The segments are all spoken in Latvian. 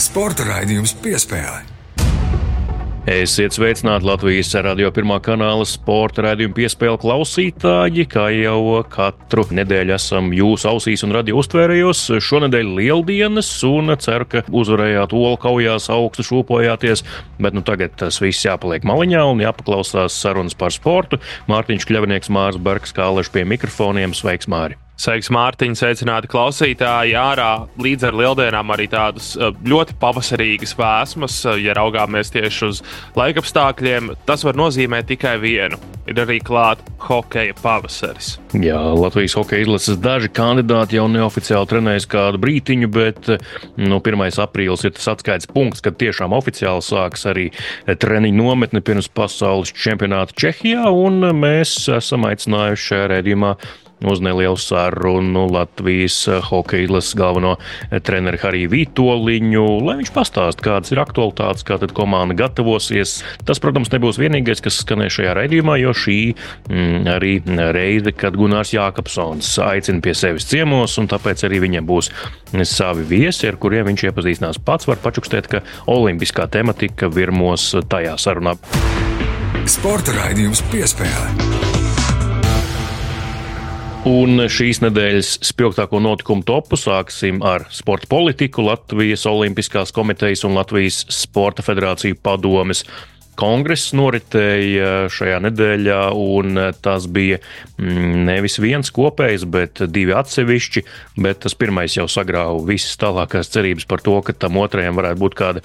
Sporta raidījums Piespēle. Esiet sveicināti Latvijas Radio 1 kanāla sporta raidījuma Piespēle klausītāji, kā jau katru nedēļu esam jūsu ausīs un radio uztvērējos. Šonedēļ lieldienas un ceru, ka uzvarējāt olu kaujās, augstu šūpojāties, bet tagad tas viss jāpaliek maliņā un jāpaklausās sarunas par sportu. Mārtiņš Kļavnieks, Mārs Bergs, Kāleši pie mikrofoniem. Sveiks, Māri! Sveiks, Mārtiņ, sveicināti klausītāji. Ārā līdz ar lieldienām arī tādas ļoti pavasarīgas vēsmas, ja raugāmies tieši uz laikapstākļiem. Tas var nozīmēt tikai vienu. Ir arī klāt hokeja pavasaris. Jā, Latvijas hokeja izlases daži kandidāti jau neoficiāli trenējas kādu brītiņu, bet 1. aprīlis ir tas atskaites punkts, kad tiešām oficiāli sāks arī treniņu nometne pirms pasaules čempionāta Čehijā, un mēs esam aicinājuši šajā raidījumā uz nelielu sarunu Latvijas hokeja izlases galveno treneri Hariju Vītoliņu, lai viņš pastāst, kādas ir aktualitātes, kā tad komanda gatavosies. Tas, protams, nebūs vienīgais, kas skanēs šajā raidījumā, jo šī arī reize, kad Gunārs Jākapsons aicina pie sevis ciemos, un tāpēc arī viņam būs savi viesi, ar kuriem viņš iepazīstinās pats. Var pačukstēt, ka olimpiskā tematika virmos tajā sarunā. Sporta raidījums Piespēle. Un šīs nedēļas spilgtāko notikumu topu sāksim ar sporta politiku. Latvijas Olimpiskās komitejas un Latvijas Sporta federāciju padomes kongress noritēja šajā nedēļā, un tas bija nevis viens kopējs, bet divi atsevišķi, bet tas pirmais jau sagrāva visas tālākās cerības par to, ka tam otrajam varētu būt kāda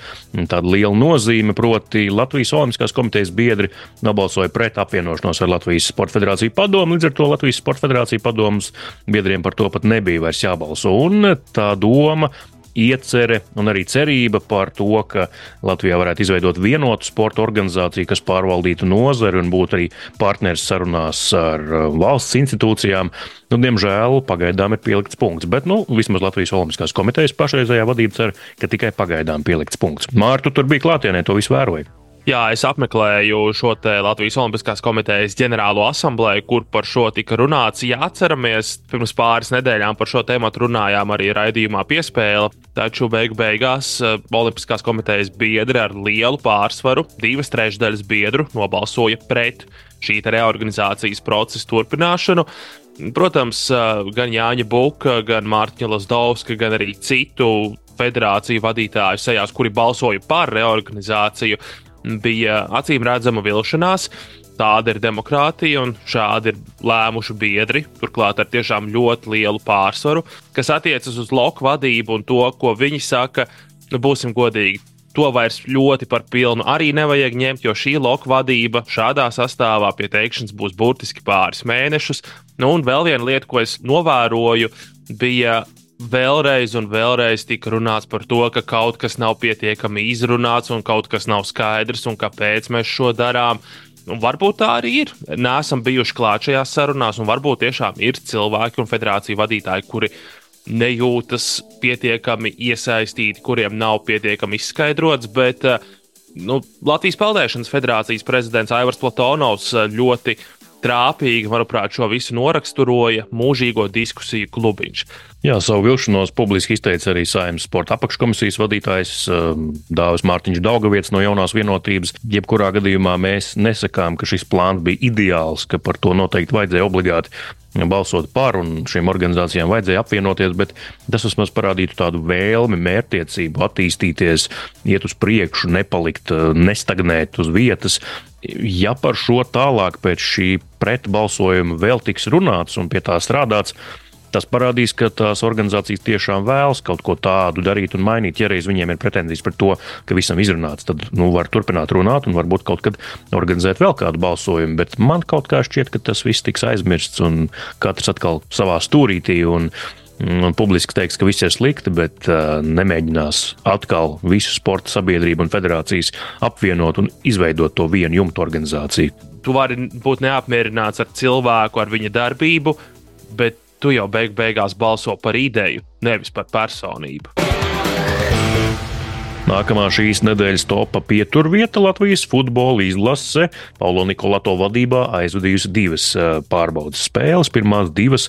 tāda liela nozīme, proti Latvijas Olimpiskās komitejas biedri nobalsoja pret apvienošanos ar Latvijas Sporta federāciju padomu, līdz ar to Latvijas Sporta federāciju padomas biedriem par to pat nebija vairs jābalso, un tā doma, iecere un arī cerība par to, ka Latvijā varētu izveidot vienotu sporta organizāciju, kas pārvaldītu nozari un būtu arī partneris sarunās ar valsts institūcijām. Diemžēl pagaidām ir pielikts punkts, bet vismaz Latvijas Olimpiskās komitejas pašreizējā vadība cer, ka tikai pagaidām pielikts punkts. Mārtu, tur bija klātienē, to visu vēroja. Jā, es apmeklēju šo te Latvijas Olimpiskās komitejas ģenerālo asambleju, kur par šo tika runāts. Ja atceramies, pirms pāris nedēļām par šo tēmatu runājām arī raidījumā Piespēle, taču beigās Olimpiskās komitejas biedri ar lielu pārsvaru, 2/3 biedru, nobalsoja pret šī reorganizācijas procesa turpināšanu. Protams, gan Jāņa Buka, gan Mārtiņa Lazdovska, gan arī citu federāciju vadītāju sejās, kuri balsoja par reorganizāciju, bija acīm redzama vilšanās. Tāda ir demokrātija un šādi ir lēmuši biedri, turklāt ar tiešām ļoti lielu pārsvaru, kas attiecas uz loku vadību un to, ko viņi saka, būsim godīgi, to vairs ļoti par pilnu arī nevajag ņemt, jo šī loku vadība šādā sastāvā pie teikšanas būs burtiski pāris mēnešus. Un vēl viena lieta, ko es novēroju, bija vēlreiz un vēlreiz tika runāts par to, ka kaut kas nav pietiekami izrunāts un kaut kas nav skaidrs un kāpēc mēs šo darām. Un varbūt tā arī ir. Neesam bijuši klāt šajās sarunās un varbūt tiešām ir cilvēki un federāciju vadītāji, kuri nejūtas pietiekami iesaistīti, kuriem nav pietiekami izskaidrots, bet Latvijas Peldēšanas federācijas prezidents Aivars Platonovs ļoti trāpīgi, manuprāt, šo visu noraksturoja mūžīgo diskusiju klubiņš. Jā, savu vilšanos publiski izteica arī Saeimas sporta apakškomisijas vadītājs Dāvis Mārtiņš Daugavietis no Jaunās vienotības. Jebkurā gadījumā mēs nesakām, ka šis plāns bija ideāls, ka par to noteikti vajadzēja obligāti balsot par un šīm organizācijām vajadzēja apvienoties, bet tas vismaz parādītu tādu vēlmi, mērķtiecību attīstīties, iet uz priekšu, nepalikt, nestagnēt uz vietas. Ja par šo tālāk pēc šī pretbalsojuma vēl tiks runāts un pie tā strādāts, tas parādīs, ka tās organizācijas tiešām vēlas kaut ko tādu darīt un mainīt. Ja reiz viņiem ir pretenzijas par to, ka visam izrunāts, tad var turpināt runāt un varbūt kaut kad organizēt vēl kādu balsojumu, bet man kaut kā šķiet, ka tas viss tiks aizmirsts un katrs atkal savā stūrītī un publiski teiks, ka viss ir slikti, bet nemēģinās atkal visu sporta sabiedrību un federācijas apvienot un izveidot to vienu jumtu organizāciju. Tu vari būt neapmierināts ar cilvēku, ar viņa darbību, bet tu jau beigās balso par ideju, nevis par personību. Nākamā šīs nedēļas topa pieturvieta Latvijas futbola izlase Paulo Nikolato vadībā aizvadījusi 2 pārbaudas spēles, pirmās 2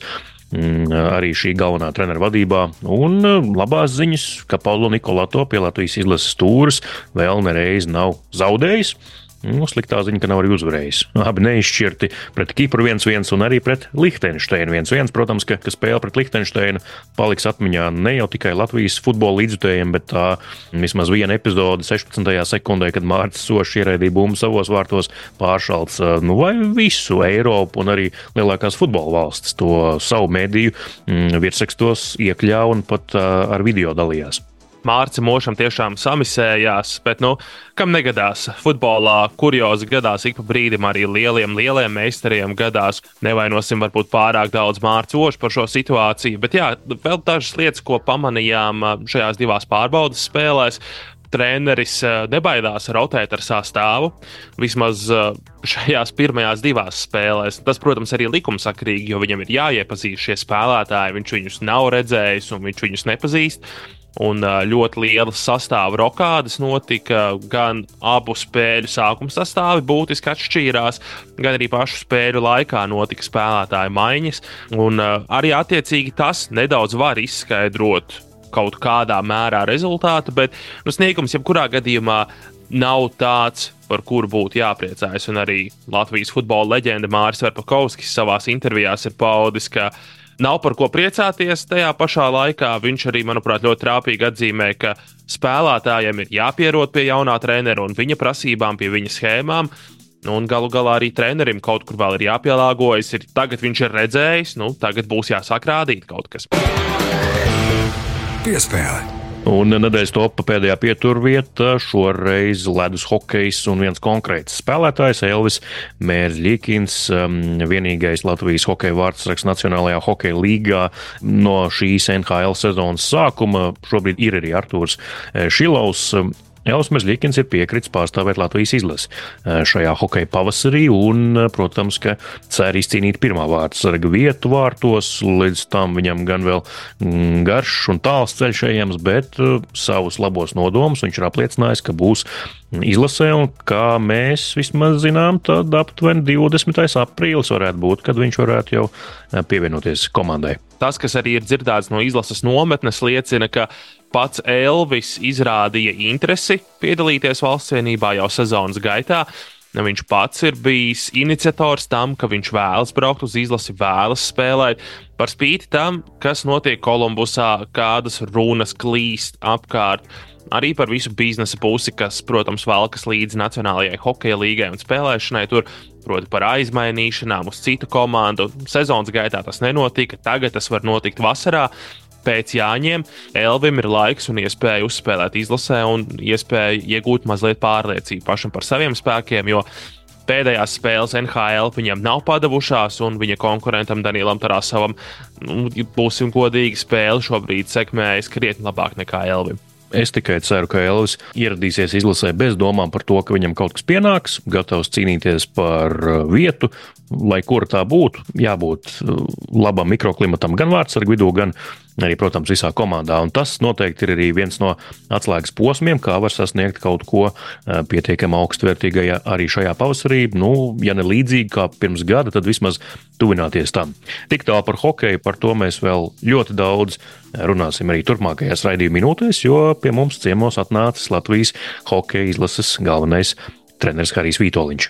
arī šī galvenā trenera vadībā, un labās ziņas, ka Paulo Nikolato pie Latvijas izlases stūres vēl nereiz nav zaudējis. Sliktā ziņa, ka nav arī uzvarējis. Abi neizšķirti pret Kipru 1-1 un arī pret Lihtenšteinu 1-1. Protams, ka spēle pret Lihtenšteinu paliks atmiņā ne jau tikai Latvijas futbola līdzjutējiem, bet tā vismaz viena epizode 16. sekundē, kad Mārcis Sošs ieraidīja bumbu savos vārtos, pāršalts vai visu Eiropu un arī lielākās futbola valstis to savu mediju virsrakstos iekļāva un pat ar video dalījās. Mārcis Mošam tiešām samisējās, bet, kam negadās? Futbolā kuriozi gadās ik pa brīdim, arī lieliem meistariem gadās. Nevainosim varbūt pārāk daudz Mārcis Mošu par šo situāciju, bet jā, vēl dažas lietas, ko pamanījām šajās 2 pārbaudas spēlēs. Treneris nebaidās rotēt ar sastāvu, vismaz šajās pirmajās 2 spēlēs. Tas, protams, arī likumsakrīgi, jo viņam ir jāiepazīst šie spēlētāji, viņš viņus nav redzējis un viņš viņus nepazīst. Un ļoti lielas sastāvu rokādes notika, gan abu spēļu sākuma sastāvi būtiski atšķīrās, gan arī pašu spēļu laikā notika spēlētāju maiņas. Un arī attiecīgi tas nedaudz var izskaidrot kaut kādā mērā rezultātu, bet sniegums jebkurā gadījumā nav tāds, par kuru būtu jāpriecājas. Un arī Latvijas futbola leģenda Māris Verpakovskis savās intervijās ir paudis, ka nav par ko priecāties. Tajā pašā laikā viņš arī, manuprāt, ļoti trāpīgi atzīmē, ka spēlētājiem ir jāpierod pie jaunā trenera un viņa prasībām, pie viņa schēmām. Un galu galā arī trenerim kaut kur vēl ir jāpielāgojas. Tagad viņš ir redzējis, tagad būs jāsāk rādīt kaut kas. Piespēle. Un nedēļas topa pēdējā pieturvieta šoreiz ledus hokejs un viens konkrēts spēlētājs Elvis Mērzļikins, vienīgais Latvijas hokeja vārdsargs Nacionālajā hokeja līgā no šīs NHL sezonas sākuma. Šobrīd ir arī Artūrs Šilovs. Elvis Mērzļikins ir piekritis pārstāvēt Latvijas izlasi šajā hokeja pavasarī un, protams, ka cer izcīnīt pirmā vārdsarga vietu vārtos. Līdz tam viņam gan vēl garš un tāls ceļš ejams, bet savus labos nodomus viņš ir apliecinājis, ka būs izlasē un kā mēs vismaz zinām, tad aptuveni 20. aprīlis varētu būt, kad viņš varētu jau pievienoties komandai. Tas, kas arī ir dzirdēts no izlases nometnes, liecina, ka pats Elvis izrādīja interesi piedalīties valstscienībā jau sezonas gaitā. Viņš pats ir bijis iniciators tam, ka viņš vēlas braukt uz izlasi, vēlas spēlēt. Par spīti tam, kas notiek Kolumbusā, kādas runas klīst apkārt, arī par visu biznesa pusi, kas, protams, valkas līdzi Nacionālajai hokeja līgai un spēlēšanai tur, proti par aizmainīšanām uz citu komandu. Sezonas gaitā tas nenotika, tagad tas var notikt vasarā. Pēc Jāņiem Elvim ir laiks un iespēja uzspēlēt izlasē un iespēja iegūt mazliet pārliecību pašam par saviem spēkiem, jo pēdējās spēles NHL viņam nav padavušās un viņa konkurentam Danielam Tarasovam, būsim godīgi, spēle šobrīd sekmējas krietni labāk nekā Elvim. Es tikai ceru, ka Elvis ieradīsies izlasē bez domām par to, ka viņam kaut kas pienāks, gatavs cīnīties par vietu, lai kur tā būtu, jābūt labam mikroklimatam gan vārdsargu vidū, gan arī, protams, visā komandā. Un tas noteikti ir arī viens no atslēgas posmiem, kā var sasniegt kaut ko pietiekami augstvērtīgajā arī šajā pavasarī. Ja ne līdzīgi kā pirms gada, tad vismaz tuvināties tam. Tik tālu par hokeju, par to mēs vēl ļoti daudz runāsim arī turpmākajās raidījuma minūtēs, jo pie mums ciemos atnācis Latvijas hokeja izlases galvenais treneris Harijs Vītoliņš.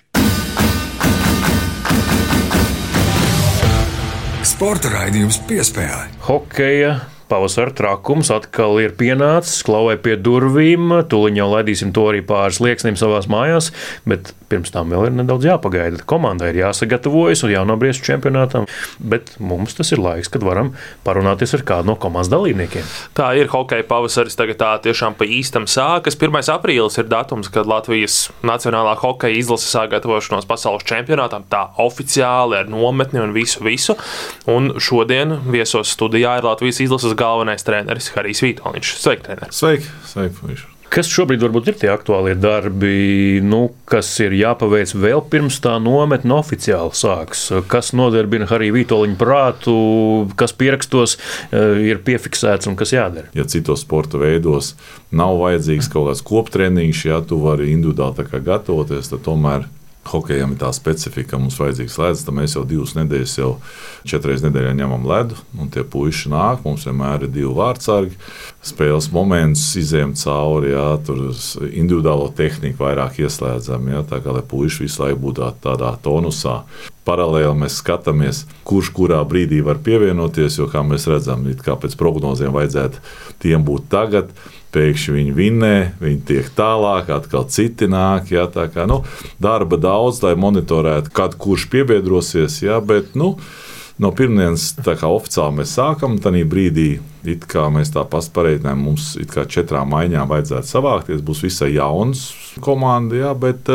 Sporta raidījums Piespēle. Hokeja pavasara trakums atkal ir pienācis, klauvē pie durvīm. Tūliņ jau laidīsim to arī pāris lieksnim savās mājās, bet pirms tam vēl ir nedaudz jāpagaida. Komandai ir jāsagatavojas un jānobriest čempionātam, bet mums tas ir laiks, kad varam parunāties ar kādu no komandas dalībniekiem. Tā ir hokeja pavasaris, tagad tā tiešām pa īstam sākas. 1. aprīlis ir datums, kad Latvijas Nacionālā hokeja izlase sāk gatavošanos pasaules čempionātam, tā oficiāli ar nometni un visu. Un šodien viesos studijā ir Latvijas izlases galvenais treneris Harijs Vītoliņš. Sveiki, trener! Sveiki! Kas šobrīd varbūt ir tie aktuālie darbi, kas ir jāpaveic vēl pirms tā nometne oficiāli sāks? Kas nodarbina Hariju Vītoliņu prātu, kas pierakstos ir piefiksēts un kas jādara? Ja citos sporta veidos nav vajadzīgs kaut kāds koptreniņš, ja tu vari individuāli tā kā gatavoties, tad tomēr hokejam ir tā specifika, mums vajadzīgs ledus, tad mēs jau 2 nedēļas, jau 4 reizes nedēļā ņemam ledu, un tie puiši nāk, mums vienmēr ir 2 vārtsargi, spēles moments izējam cauri, jā, tur individuālo tehniku vairāk ieslēdzam, jā, tā kā lai puiši visu laiku būtu tādā tonusā. Paralēli mēs skatāmies, kurš kurā brīdī var pievienoties, jo, kā mēs redzam, kā pēc prognozēm vajadzētu tiem būt tagad, pēkšņi viņi vinnē, viņi tiek tālāk, atkal citi nāk, jā, tā kā, darba daudz, lai monitorētu, kad kurš piebiedrosies, jā, bet, no pirmdienas tā kā oficiāli mēs sākam, tanī brīdī, it kā mēs tā pareiķinājām, mums it kā 4 maiņām vajadzētu savākties, būs visai jauns komanda, jā, bet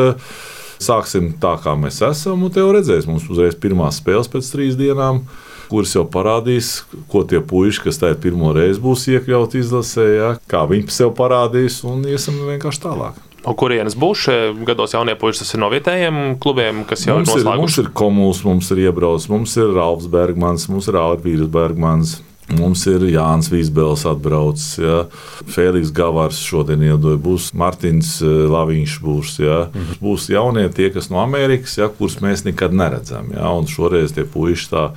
sāksim tā, kā mēs esam, un te jau redzēs, mums uzreiz pirmās spēles pēc 3 dienām, kuras jau parādīs, ko tie puiši, kas tā pirmo reizi būs iekļauti izlasē, ja, kā viņi sev parādīs, un iesim vienkārši tālāk. No kurienes būs šie gados jaunie puiši? Tas ir no vietējiem klubiem, kas jau ir noslēguši? Mums ir Komuls, mums ir Iebrauc, mums ir Ralfs Bergmans, mums ir Ārvīrs Bergmans, mums ir Jānis Vīsbels atbraucis, ja. Fēliks Gavārs šodien iedoja, būs Martins Laviņš būs, ja. Būs jaunie tie, kas no Amerikas, ja, kurus mēs nekad neredzam, ja, un šoreiz tie puiši tā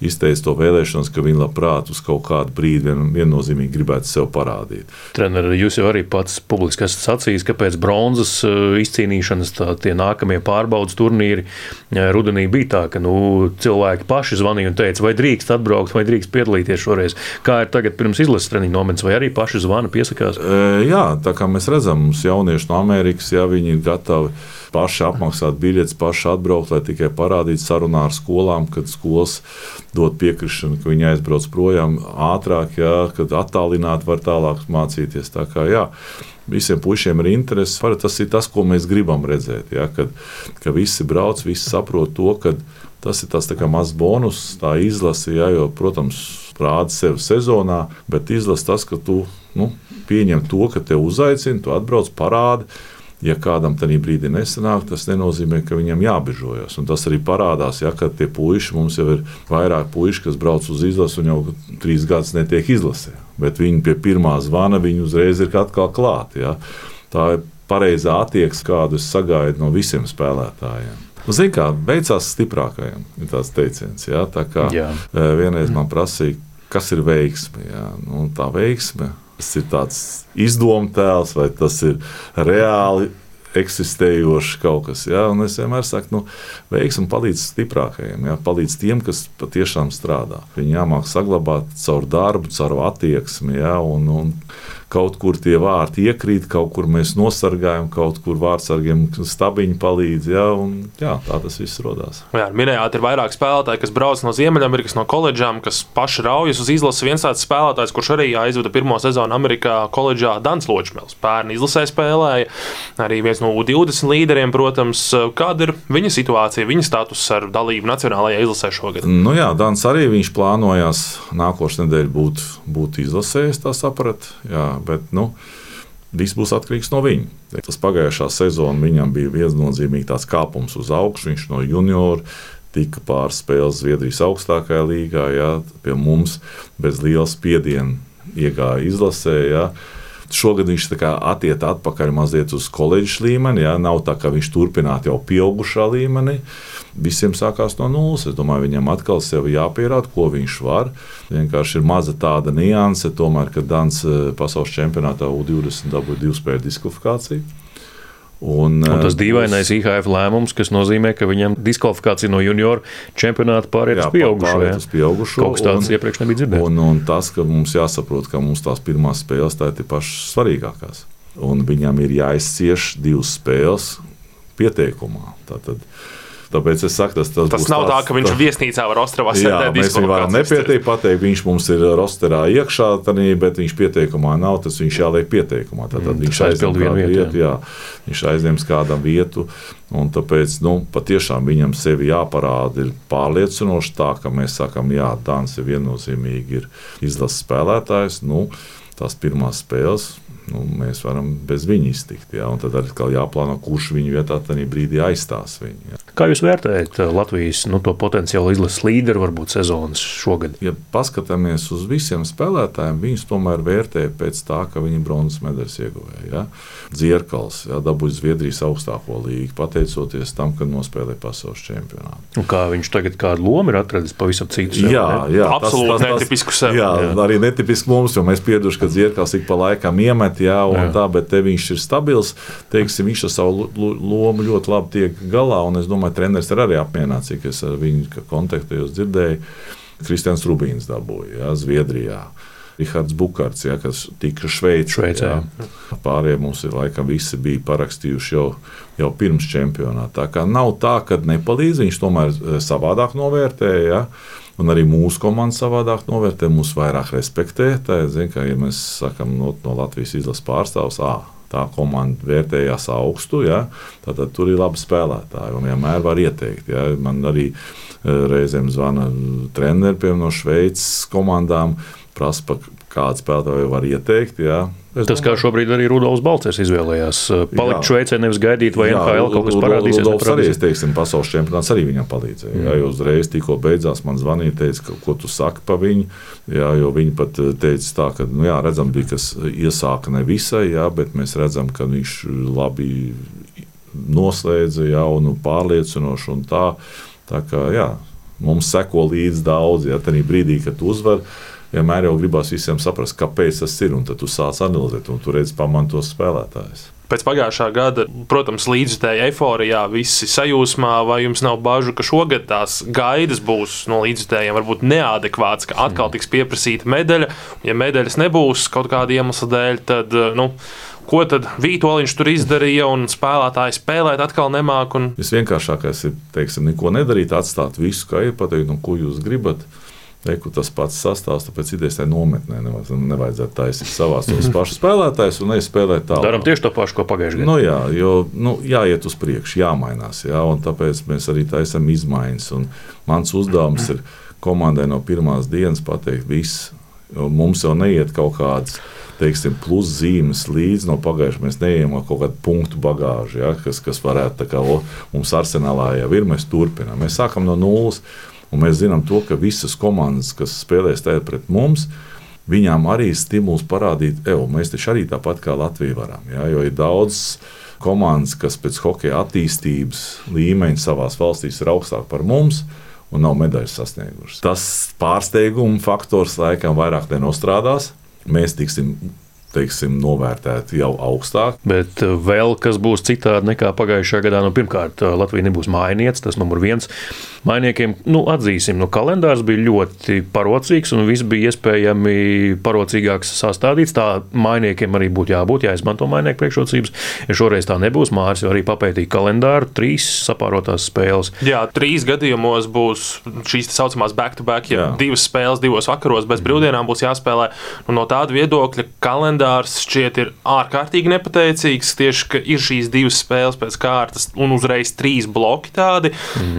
izteica to vēlēšanos, ka viņi labprāt uz kaut kādu brīdi viennozīmīgi gribētu sev parādīt. Treneri, jūs jau arī pats publiski esat sacījis, ka pēc bronzas izcīnīšanas tie nākamie pārbaudas turnīri rudenī bija tā, ka cilvēki paši zvanīja un teica, vai drīkst atbraukt, vai drīkst piedalīties šoreiz. Kā ir tagad pirms izlases treniņu nometnes, vai arī paši zvana piesakās? Jā, tā kā mēs redzam, mums jaunieši no Amerikas, ja viņi ir gatavi paši apmaksāt biļetes, paši atbraukt, lai tikai parādītu sarunā ar skolām, kad skolas dod piekrišanu, ka viņi aizbrauc projām ātrāk, jā, kad attālināt var tālāk mācīties. Tā kā, jā, visiem puišiem ir interesi. Tas ir tas, ko mēs gribam redzēt, jā, ka visi brauc, visi saprot to, ka tas ir tas tā kā mazs bonus, tā izlase, jā, jo, protams, rāda sevi sezonā, bet izlase tas, ka tu pieņem to, ka te uzaicina, tu atbrauc, parādi. Ja kādam tajā brīdī nesanāk, tas nenozīmē, ka viņam jābežojas. Un tas arī parādās, ja, kad tie puiši, mums jau ir vairāk puiši, kas brauc uz izlasi un jau 3 gadus netiek izlasē. Bet viņi pie pirmā zvana, viņi uzreiz ir atkal klāt. Ja. Tā ir pareizā attieksme, kādu es sagaidu no visiem spēlētājiem. Zini kā, beidzās stiprākajiem, ir tāds teiciens. Ja. Tā kā vienreiz man prasīja, kas ir veiksme. Ja. Tā veiksme. Tas ir tāds izdomtēls, vai tas ir reāli eksistējošs kaut kas. Ja? Un es vienmēr saku, veiksmi palīdz stiprākajiem, ja? Palīdz tiem, kas patiešām strādā. Viņi jāmāk saglabāt caur darbu, caur attieksmi, ja? un kaut kur tie vārti iekrīt, kaut kur mēs nosargājam, kaut kur vārtsargiem stabiņi palīdz, ja? Un jā, tā tas viss rodās. Jā, minējāt, ir vairāk spēlētāji, kas brauc no Ziemeļamerikas, no koledžām, kas paši raujas uz izlases. Viens tāds spēlētājs, kurš arī aizvada pirmo sezonu Amerikā koledžā, Dans Ločmēls. Pērn izlasē spēlēja, arī viens no U20 līderiem, protams. Kāda ir viņa situācija, viņa status ar dalību nacionālajā izlasē šogad? Jā, Dans arī viņš plānojās nākošu nedēļu būt izlasējis, tā saprat, jā, bet, viss būs atkarīgs no viņa. Tas pagājušā sezona viņam bija viennozīmīgi tāds kāpums uz augšu, viņš no junioru tika pāris spēles Zviedrijas augstākajā līgā, jā, pie mums bez liela spiediena iegāja izlasē, jā. Šogad viņš attiet atpakaļ mazliet uz koledžas līmeni, jā, nav tā, ka viņš turpinātu jau pieaugušā līmenī. Visiem sākās no nulles. Es domāju, viņam atkal sev jāpierāda, ko viņš var. Vienkārši ir maza tāda nianse, tomēr, kad Dans pasaules čempionātā U20 dabūja 2 spēļu diskvalifikāciju. Un tas dīvainais IHF lēmums, kas nozīmē, ka viņam diskvalifikācija no junioru čempionāta pāriet uz pieaugušo. Kaut kas tāds iepriekš nebija dzirdēts. Un tas, ka mums jāsaprot, ka mums tās pirmās spēles tā ir pašas svarīgākās. Un viņam ir jāizcieš 2 spēles pieteikumā. Tāpēc es saku, tas nav tā, ka viņš viesnīcā var Ostravā sēdēt. Mēs viņu varam nepieteikt, pateikt, viņš mums ir rosterā iekšā, bet viņš pieteikumā nav, tas viņš jāliek pieteikumā. Tad viņš aizņem kādu vietu, viņš aizņems kādam vietu, un tāpēc, patiešām viņam sevi jāparāda ir pārliecinoši tā, ka mēs sakam, jā, Dans ir viennozīmīgi ir izlases spēlētājs, tās pirmās spēles mēs varam bez viņa iztikt. Ja? Un tad arī jāplāno, kurš viņu vietā tajā brīdī aizstās viņu. Ja? Kā jūs vērtējat Latvijas to potenciālu izlases līderu varbūt sezonas šogad? Ja paskatāmies uz visiem spēlētājiem, viņus tomēr vērtē pēc tā, ka viņi bronzas medaļas ieguvēja. Ja? Dzierkals dabūja Zviedrijas augstāko līgu, pateicoties tam, ka nospēlēja pasaules čempionātu. Un kā viņš tagad kādu lomu ir atradis pavisam citu sev? Jā, absolūti netipisku sev. Jā, arī netipisku mums, jo mēs pieduši, ka Dzierkals ik pa laikam iemet, tā, bet te viņš ir stabils. Teiksim, viņš ar savu lomu ļoti labi tiek galā, un es domāju, treneris ir arī apmierināts, cik es ar viņu kontaktējos dzirdēju. Kristians Rubīns dabūja, Zviedrijā. Rihards Bukarts, kas tika Šveicē. Pārējie mums ir laikam visi bija parakstījuši jau pirms čempionāta. Tā kā nav tā, ka nepalīdz, viņš tomēr savādāk novērtēja, un arī mūsu komanda savādāk novērtē, mūs vairāk respektē. Tā ir, ja mēs sakam no Latvijas izlases pārstāvs, tā komanda vērtējās augstu, tad tur ir labi spēlētāji un vienmēr var ieteikt. Man arī reizēm zvana treneri no Šveices komandām, prasa, kādu spēlētāju var ieteikt. Tas, kā šobrīd arī Rudolfs Balcers izvēlējās, palikt Šveicē, nevis gaidīt, vai NHL kaut kas parādīsies. Rudolfs arī, pasaules čempionāts arī viņam palīdzēja. Jo uzreiz tikko beidzās, man zvanīja, teica, ko tu saki pa viņu. Jo viņi pat teica tā, ka, redzam, bija, kas iesāka ne visai, bet mēs redzam, ka viņš labi noslēdza un pārliecinoši un tā. Tā kā, mums seko līdz daudz, tajā brīdī, kad tu uzvar, vienmēr jau gribās visiem saprast, kāpēc tas ir, un tad tu sāc analizēt, un tu redz pamantos spēlētājus. Pēc pagājušā gada, protams, līdzjutēja eiforijā, visi sajūsmā, vai jums nav bažu, ka šogad tās gaidas būs no līdzjutējiem varbūt neadekvāts, ka atkal tiks pieprasīta medaļa, ja medaļas nebūs kaut kāda iemesla dēļ, tad, ko tad Vītoliņš tur izdarīja un spēlētāji spēlēt atkal nemāk? Visvienkāršākais ir, neko nedarīt, atstāt visu, kā ir, pateikt, ko jūs gribat. Tas pats sastāvs, tāpēc idejas tajā nometnē nevajadzētu taisīt savās tos pašus spēlētājus un neizspēlēt tālāk. Darām tieši to pašu, ko pagājušajā gadā. Jāiet uz priekšu, jāmainās, un tāpēc mēs arī taisam izmaiņas. Un mans uzdevums ir komandai no pirmās dienas pateikt viss. Mums jau neiet kaut kāds, pluszīmes līdz no pagājušajā. Mēs neejam ar kaut kādu punktu bagāžu, kas varētu mums arsenālā jau ir, mēs turpinām. Mēs sākam no nulles. Un mēs zinām to, ka visas komandas, kas spēlēs tagad pret mums, viņām arī ir stimuls parādīt, mēs taču arī tāpat kā Latvija varam. Jo ir daudz komandas, kas pēc hokeja attīstības līmeņa savās valstīs ir augstāk par mums un nav medaļas sasniegušas. Tas pārsteiguma faktors laikam vairāk nenostrādās. Mēs tiksim novērtēti jau augstāk. Bet vēl kas būs citādi nekā pagājušajā gadā? Pirmkārt, Latvija nebūs mājniece, tas numur viens. Mainiekiem, atzīsim, kalendārs bija ļoti parocīgs un viss bija iespējami parocīgāks sastādīts. Tā mainiekiem arī būtu jābūt, jāizmanto mainieku priekšrocības. Ja šoreiz tā nebūs, Māris jau arī papētīja kalendāru, 3 sapārotās spēles. Jā, 3 gadījumos būs šīs tā saucamās back-to-back, 2 spēles 2 vakaros bez brīvdienām būs jāspēlē. No tāda viedokļa kalendārs šķiet ir ārkārtīgi nepateicīgs, tieši, ka ir šīs 2 spēles pēc kārtas un uzreiz 3 bloki tādi.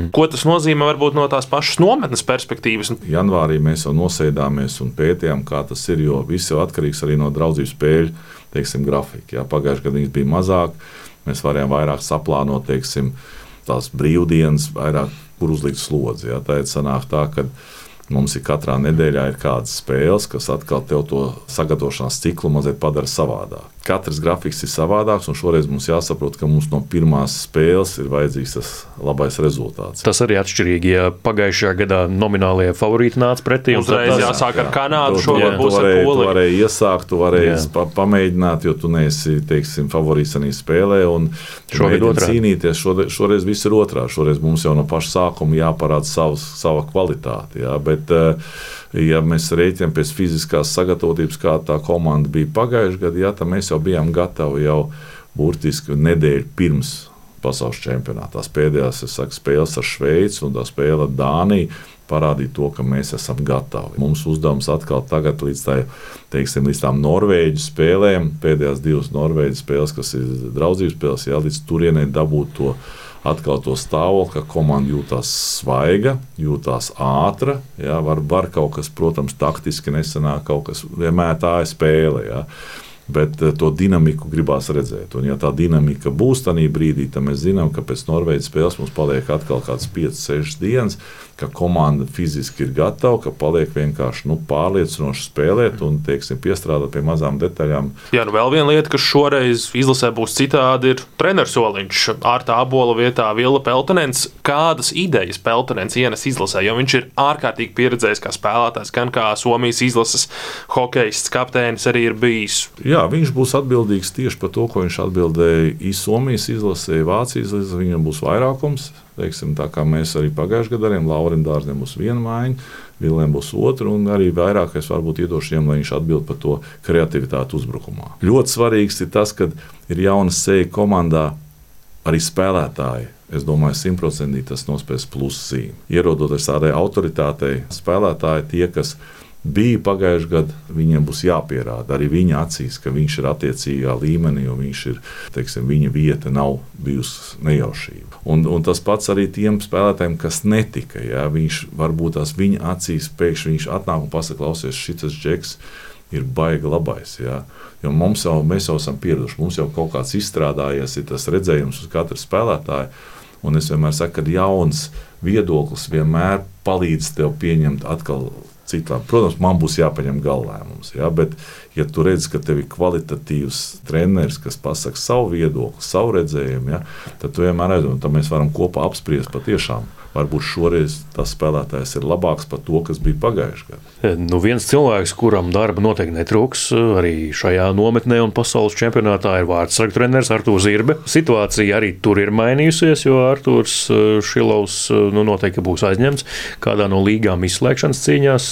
Ko tas nozīmē varbūt no tās pašas nometnes perspektīvas? Janvārī mēs jau nosēdāmies un pētījām, kā tas ir, jo viss jau atkarīgs arī no draudzību spēļu, grafika. Pagājušajā gadā viņas bija mazāk, mēs varējām vairāk saplānot, tās brīvdienas, vairāk, kur uzlikt slodzi. Tā ir sanāk tā, ka mums ir katrā nedēļā ir kādas spēles, kas atkal tev to sagatavošanās ciklu mazliet padara savādāk. Katrs grafiks ir savādāks, un šoreiz mums jāsaprot, ka mums no pirmās spēles ir vajadzīgs tas labais rezultāts. Tas arī atšķirīgi, ja pagājušajā gadā nominālie favorīti nāca pretī. Uzreiz jāsāk ar Kanādu, šogad būs ar Poliju. Tu varēji iesākt, tu varēji pamēģināt, jo tu neesi, favorīts arī spēlē, un šogad cīnīties. Šoreiz viss ir otrā. Šoreiz mums jau no paša sākuma jāparāda sava kvalitāte. Bet, ja mēs rēķinām pēc fiziskās sagatavotības, kā tā komanda bija pagājušajā gadā, tad mēs jau bijām gatavi jau burtiski nedēļu pirms pasaules čempionāta. Tās pēdējās spēles ar Šveici un tā spēle ar Dāniju parādīja to, ka mēs esam gatavi. Mums uzdevums atkal tagad līdz tām Norvēģu spēlēm, pēdējās 2 Norvēģu spēles, kas ir draudzības spēles, līdz turienei dabūt to atkal to stāvokli, ka komanda jūtās svaiga, jūtās ātra. Var kaut kas, protams, taktiski nesanāk, kaut kas vienmēr tā ir spēle. Bet to dinamiku gribās redzēt. Un, ja tā dinamika būs tajā brīdī, tad mēs zinām, ka pēc Norvēģijas spēles mums paliek atkal kāds 5-6 dienas, ka komanda fiziski ir gatava, ka paliek vienkārši pārliecinoši spēlēt un, teiksim, piestrādāt pie mazām detaļām. Jā, vēl viena lieta, kas šoreiz izlasē būs citādi, ir treneris soliņš. Ārta Abola vietā Villa Peltonens. Kādas idejas Peltonens ienes izlasē? Jo viņš ir ārkārtīgi pieredzējis kā spēlētājs, gan kā Somijas izlases hokejists, kapteinis arī ir bijis. Jā, viņš būs atbildīgs tieši par to, ko viņš atbildēja Somijas izlasē, Vācijas izlasē. Viņam būs vairākums, teiksim, tā kā mēs arī pagājušajā gadā darījām. Laurim Dārznim būs viena maiņa, Vilēm būs otra, un arī vairāk es varbūt iedošu viņam, lai viņš atbild par to kreativitāti uzbrukumā. Ļoti svarīgs ir tas, ka ir jauna seja komandā, arī spēlētāji. Es domāju, 100% tas nospēs pluszīmi. Ierodoties tādai autoritātei, spēlētāji tie, kas bija pagājušajā gadā, viņiem būs jāpierāda arī viņa acīs, ka viņš ir attiecīgā līmenī un viņš ir, teiksim, viņa vieta nav bijusi nejaušība. Un tas pats arī tiem spēlētājiem, kas netika. Ja? Viņš varbūt tās viņa acīs pēkšņi viņš atnāk un pasaka, klausies, šitas džeks ir baigi labais. Ja? Jo mēs jau esam pieraduši, mums jau kaut kāds izstrādājies, ir tas redzējums uz katru spēlētāju. Un es vienmēr saku, ka jauns viedoklis vienmēr palīdz tev pieņemt atkal citām. Protams, man būs jāpaņem galvlēmums, ja? Bet, ja tu redzi, ka tev ir kvalitatīvs treneris, kas pasaka savu viedokli, savu redzējumu, ja? Tad tu vienmēr aizdomā, tad mēs varam kopā apspriest patiešām. Varbūt šoreiz tas spēlētājs ir labāks par to, kas bija pagājušajā gadā. Viens cilvēks, kuram darba noteikti netrūks arī šajā nometnē un pasaules čempionātā, ir vārdsargu treneris Artūrs Zirbe. Situācija arī tur ir mainījusies, jo Artūrs Šilovs noteikti būs aizņemts kādā no līgām izslēgšanas cīņās,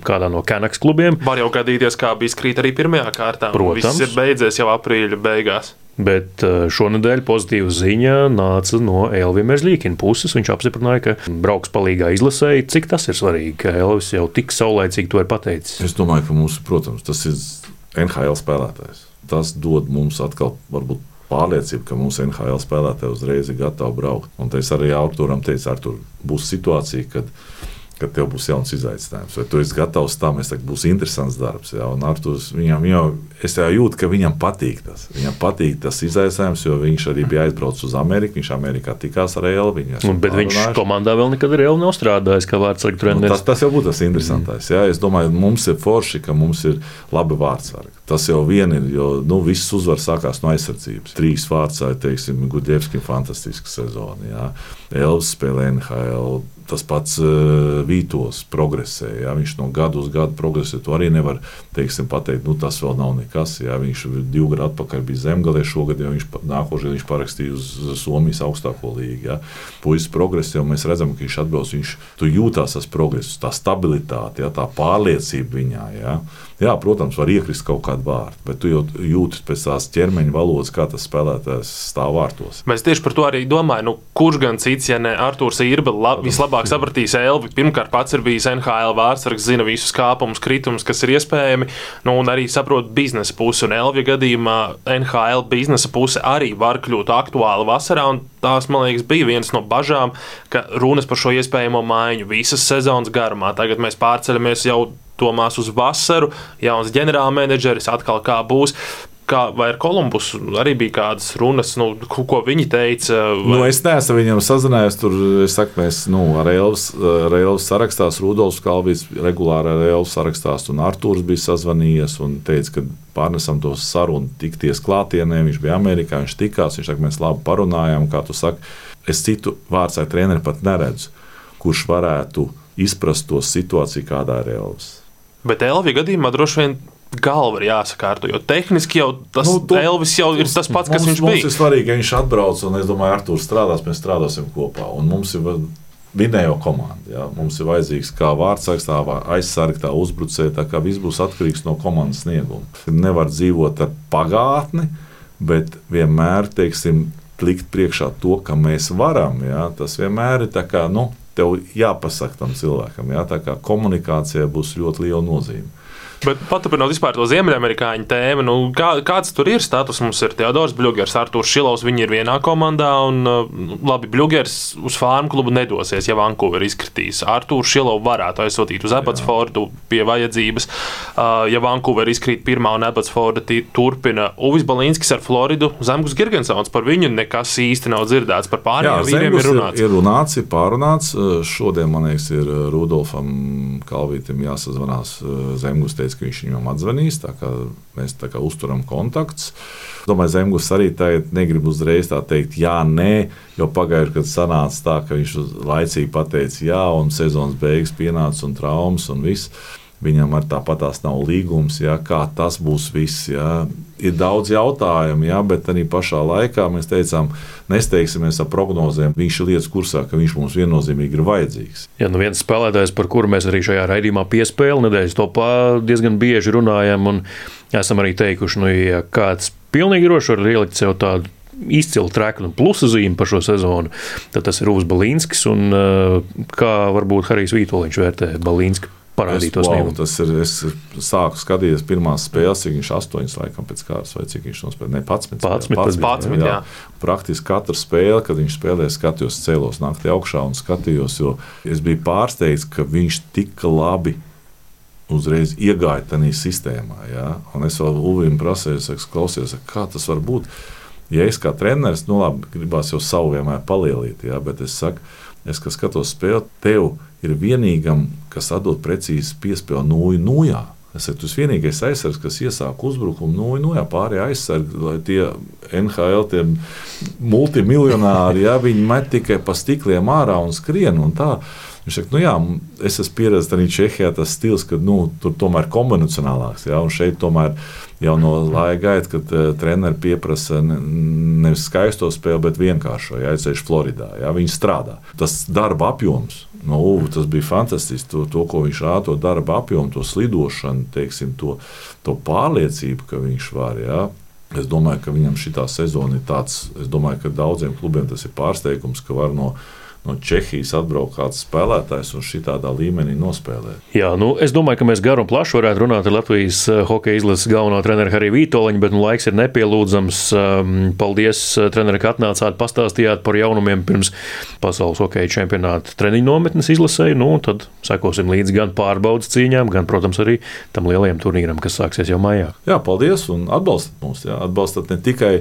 kādā no Canucks klubiem. Var jau gadīties, kā bija skrīt arī pirmajā kārtā. Protams. Viss ir beidzies jau aprīļa beigās. Bet šonadēļ pozitīva ziņa nāca no Elvija Merzļīkina puses. Viņš apstiprināja, ka brauks palīgā izlasēji. Cik tas ir svarīgi, ka Elvis jau tik saulaicīgi to ir pateicis? Es domāju, ka mums, protams, tas ir NHL spēlētājs. Tas dod mums atkal varbūt pārliecību, ka mūsu NHL spēlētāji uzreiz ir gatavi braukt. Un es arī Artūram teicu, Artūr, būs situācija, kad tev būs jauns izaicinājums. Vai tu esi gatavs tam, es teiktu, būs interesants darbs. Ja? Un Artūrs, es jau jūtu, ka viņam patīk tas. Viņam patīk tas izaicinājums, jo viņš arī bija aizbraucis uz Ameriku. Viņš Amerikā tikās ar Elvi. Bet viņš komandā vēl nekad ar Elvi nav strādājis, kā vārdsargu treneris. Tas jau būtu tas interesantais. Ja? Es domāju, mums ir forši, ka mums ir labi vārdsargi. Tas jau vien ir, jo viss uzvar sākās no aizsardzības. 3 vārdsargi, teiksim, Gudļevskim fantastiska sezona. Ja? Elvis spēlē NHL. Tas pats Vītos progresē. Ja? Viņš no gada uz gadu progresē. To arī nevar, teiksim, pateikt, tas vēl nav nekas. Ja? Viņš 2 gadu atpakaļ bija Zemgalē šogad, jo nākošajā viņš parakstīja uz Somijas augstāko līgu. Ja? Puisis progresē, un mēs redzam, ka viņš atbrauc. Tu jūtās tas progress, tā stabilitāte, ja? Tā pārliecība viņā. Ja? Jā, protams, var iekrist kaut kādu vārdu, bet tu jau jūti pēc tās ķermeņa valodas, kā tas spēlētājs stāv vārtos. Mēs tieši par to arī domājam, kurš gan cits, ja ne Artūrs Zirbe, vislabāk sapratīs Elvi. Pirmkārt, pats ir bijis NHL vārdsargs, zina visus kāpumus, kritumus, kas ir iespējami, un arī saprot biznesa pusi. Un Elvija gadījumā NHL biznesa puse arī var kļūt aktuāla vasarā, un tās, man liekas, bija viens no bažām, ka runas par šo iespējamo maiņu visas sezonas garumā. Tagad mēs pārceļamies jau domās uz vasaru, jauns ģenerālmenedžeris, atkal kā būs. Vai ar Kolumbusu arī bija kādas runas, ko viņi teica? Es neesmu viņam sazinājies. Tur es saku, mēs ar Elvis sarakstās, Rudolfs Kalvīts regulāri ar Elvis sarakstās, un Artūrs bija sazvanījies un teica, ka pārnesam to sarunu tikties klātienē. Viņš bija Amerikā, viņš tikās, viņš saka, mēs labi parunājām, kā tu saki. Es citu vārdsargu treneri pat neredzu, kurš varētu izprast to situāciju, kādā ir Elvis. Bet Elvija gadījumā droši vien galva ir jāsakārto, jo tehniski jau tas Elvis jau ir tas pats, kas viņš bija. Mums ir svarīgi, ka viņš atbrauc, un es domāju, Artūrs strādās, mēs strādāsim kopā. Un mums ir vinējo komanda. Ja? Mums ir vajadzīgs kā vārdsargs, tā aizsargi, tā uzbrucēji, tā kā viss būs atkarīgs no komandas snieguma. Nevar dzīvot ar pagātni, bet vienmēr, teiksim, likt priekšā to, ka mēs varam. Ja? Tas vienmēr ir tā kā, tev jāpasaka tam cilvēkam. Ja? Tā kā komunikācijai būs ļoti liela nozīme. Bet paturpinot vispār to ziemeļamerikāņu tēmu, kāds tur ir status? Mums ir Teodors Bļugers, Artūrs Šilovs, viņi ir vienā komandā, un labi, Bļugers uz Farm klubu nedosies, ja Vancouver izkritīs. Artūrs Šilovs varētu aizsūtīt uz Abbotsfordu pie vajadzības, ja Vancouver izkrīt pirmā un Abbotsforda turpina. Uvis Balinskis ar Floridu, Zemgus Girgensons, par viņu nekas īsti nav dzirdēts, par pārējiem vīriem ir runāts. Ir runāts, ir pārunāts. Šodien, man liekas, ir Rudolfam Kalvītam jāsazvanās. Zemgus teica, ka viņš viņam atzvanīs, tā kā mēs tā kā uzturam kontakts. Domāju, Zemgus arī tagad negrib uzreiz tā teikt jā, nē, jo pagājuši, kad sanāca tā, ka viņš laicīgi pateica jā, un sezonas beigas pienāca un traumas un viss. Viņam ar tāpatās nav līgums, jā, kā tas būs viss. Jā. Ir daudz jautājumu, jā, bet arī pašā laikā mēs teicām, nesteigsimies ar prognozēm. Viņš ir lietas kursā, ka viņš mums viennozīmīgi ir vajadzīgs. Jā, viens spēlētājs, par kuru mēs arī šajā raidījumā piespēli nedēļas topā diezgan bieži runājam un esam arī teikuši, ja kāds pilnīgi droši var ielikt sev tādu izcilu treknu un plusa zīmi par šo sezonu, tad tas ir Uvis Balinskis un kā varbūt Harijs Vītoliņš vērtē Balinski. Es sāku skatīties pirmās spēles, cik viņš 8 laikam pēc kārtas, vai cik viņš nospēlē. 11. Jā. Praktiski katru spēli, kad viņš spēlēja, skatījos, cēlos naktī augšā un skatījos, jo es biju pārsteigts, ka viņš tik labi uzreiz iegāja tajā sistēmā. Jā. Un es vēl Uvim prasēju, klausies, kā tas var būt. Ja es kā treneris, labi, gribās jau savu vienmēr palielīt, jā, bet es saku, kad skatos spēli, tev ir vienīgam, kas atdod precīzi piespēli 0-0. Es saku, tas vienīgais aizsargs, kas iesāk uzbrukumu 0-0, pārējie aizsargi, lai tie NHL, tie multimiljonāri, jā, viņi met tikai pa stikliem ārā un skrien un tā. Viņš saka, es esmu pieredzējis arī Čehijā tas stils, ka tur tomēr kombinacionālāks, jā, un šeit tomēr jau no laika gaita, kad treneri pieprasa nevis skaisto spēli, bet vienkāršo, jā, ceļš Floridā, jā, viņi strādā. Tas darba apjoms, tas bija fantastiski, to, ko viņš rāda, to darba apjomu, to slidošanu, teiksim, to pārliecību, ka viņš var, jā. Es domāju, ka viņam šitā sezona ir tāds, es domāju, ka daudziem klubiem tas ir pārsteigums, ka var no Čehijas atbraukt kāds spēlētājs un šitādā līmenī nospēlēt. Jā, es domāju, ka mēs garu un plašu varētu runāt ar Latvijas hokeja izlases galveno treneru Hariju Vītoliņu, bet laiks ir nepielūdzams. Paldies, treneri, ka atnācāt, pastāstījāt par jaunumiem pirms pasaules hokeja čempionāta treniņu nometnes izlasēju. Tad sekosim līdzi gan pārbaudas cīņām, gan, protams, arī tam lielajam turnīram, kas sāksies jau maijā. Jā, paldies un atbalstat mūs. Jā. Atbalstat ne tikai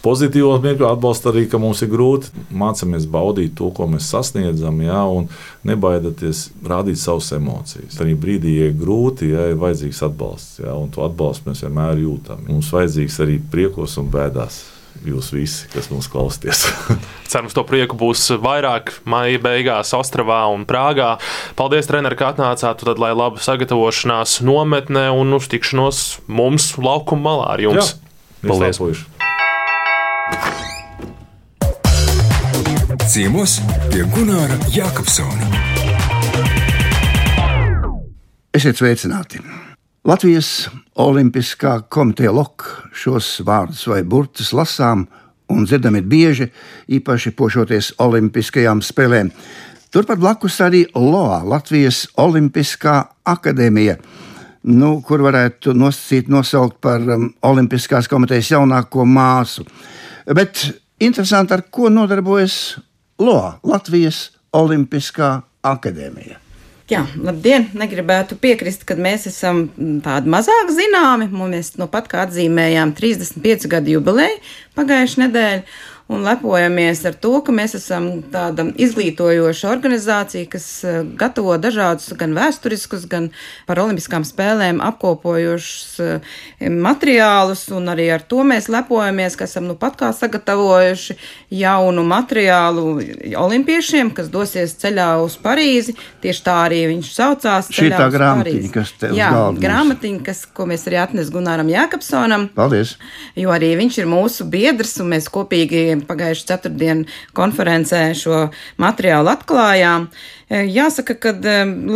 pozitīvos mirkļos, atbalsta arī, ka mums ir grūti. Mācāmies baudīt to, ko mēs sasniedzam, jā, un nebaidieties rādīt savas emocijas. Tajā brīdī, ja ir grūti, jā, ir vajadzīgs atbalsts, jā, un to atbalstu mēs vienmēr jūtam. Mums vajadzīgs arī priekos un bēdās. Jūs visi, kas mums klausties. Cerams, to prieku būs vairāk maija beigās Ostravā un Prāgā. Paldies, treneri, ka atnācāt, tad lai laba sagatavošanās nometnē un uz tikšanos mums laukuma malā ar jums. Jā, paldies! Ciemos pie Gunāra Jākapsona. Esiet sveicināti! Latvijas Olimpiskā komiteja LOK šos vārdus vai burtus lasām un dzirdam ir bieži, īpaši pošoties Olimpiskajām spēlēm. Turpat blakus arī LOA, Latvijas Olimpiskā akadēmija, kur varētu nosaukt par Olimpiskās komitejas jaunāko māsu. Bet interesanti, ar ko nodarbojas LOA, Latvijas Olimpiskā akadēmija. Jā, labdien! Negribētu piekrist, ka mēs esam tādi mazāk zināmi. Mēs pat kā atzīmējām 35 gadu jubileju pagājušajā nedēļā un lepojamies ar to, ka mēs esam tāda izglītojoša organizācija, kas gatavo dažādus gan vēsturiskus, gan par olimpiskām spēlēm apkopojošus materiālus, un arī ar to mēs lepojamies, ka esam pat kā sagatavojuši jaunu materiālu olimpiešiem, kas dosies ceļā uz Parīzi. Tieši tā arī viņš saucās. Šī tā grāmatiņa, kas te uz galda. Jā, grāmatiņa, ko mēs arī atnes Gunāram Jākapsonam. Paldies! Jo arī viņš ir mūsu biedrs, un mēs kopīgi pagājuši 4. konferencē šo materiālu atklājām. Jāsaka, ka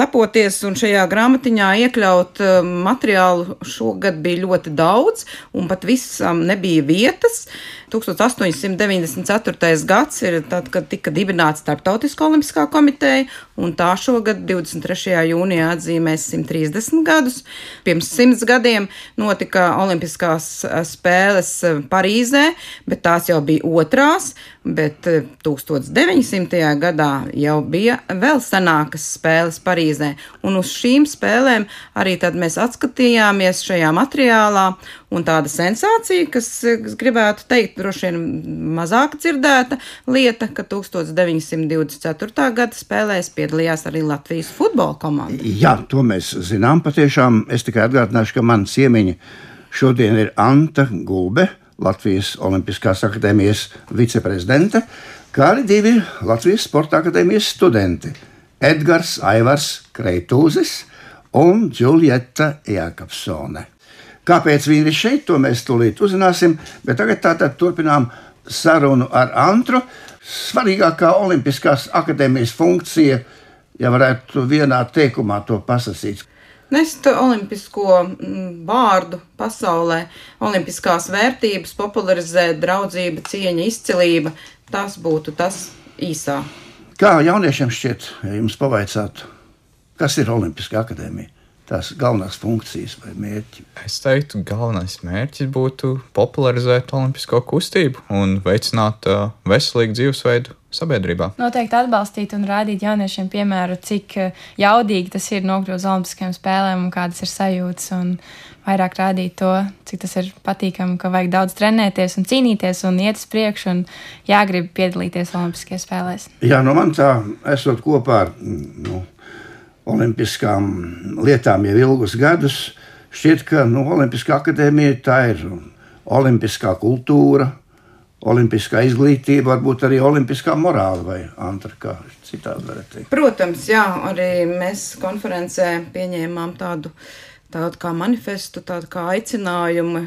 lepoties un šajā grāmatiņā iekļaut materiālu šogad bija ļoti daudz, un pat visam nebija vietas. 1894. gads ir tad, kad tika dibināta Starptautiskā olimpiskā komiteja, un tā šogad 23. jūnijā atzīmēs 130 gadus. Pirms 100 gadiem notika Olimpiskās spēles Parīzē, bet tās jau bija otrās, bet 1900. gadā jau bija vēl senākas spēles Parīzē, un uz šīm spēlēm arī tad mēs atskatījāmies šajā materiālā, un tāda sensācija, kas gribētu teikt, droši vien mazāk dzirdēta lieta, ka 1924. gada spēlēs piedalījās arī Latvijas futbola komanda. Jā, to mēs zinām patiešām. Es tikai atgādināšu, ka man ciemiņa šodien ir Anta Gulbe, Latvijas Olimpiskās akadēmijas viceprezidente, kā arī 2 Latvijas Sporta akadēmijas studenti – Edgars Aivars Kreitūzis un Džuljeta Jākapsone. Kāpēc viņi ir šeit, to mēs tūlīt uzzināsim, bet tagad tātad turpinām sarunu ar Antru. Svarīgākā Olimpiskās akadēmijas funkcija, ja varētu vienā teikumā to pasakīt. Nest olimpisko vārdu pasaulē, olimpiskās vērtības, popularizēt draudzība, cieņa, izcilība, tas būtu tas īsā. Kā jauniešiem šķiet, ja jums pavaicātu, kas ir Olimpiskā akadēmija? Tās galvenās funkcijas vai mērķi? Es teiktu, galvenais mērķis būtu popularizēt olimpisko kustību un veicināt veselīgu dzīvesveidu sabiedrībā. Noteikti atbalstīt un rādīt jauniešiem piemēru, cik jaudīgi tas ir nokļūt uz olimpiskajām spēlēm un kādas ir sajūtas, un vairāk rādīt to, cik tas ir patīkami, ka vajag daudz trenēties un cīnīties un iet uz priekšu un jāgrib piedalīties olimpiskajās spēlēs. Jā, no man tā, esot kopā ar olimpiskām lietām jau ilgus gadus, šķiet, ka Olimpiskā akadēmija tā ir olimpiskā kultūra, olimpiskā izglītība, varbūt arī olimpiskā morāla vai Antra, kā citādi varētu teikt. Protams, jā, arī mēs konferencē pieņēmām tādu kā manifestu, tādu kā aicinājumu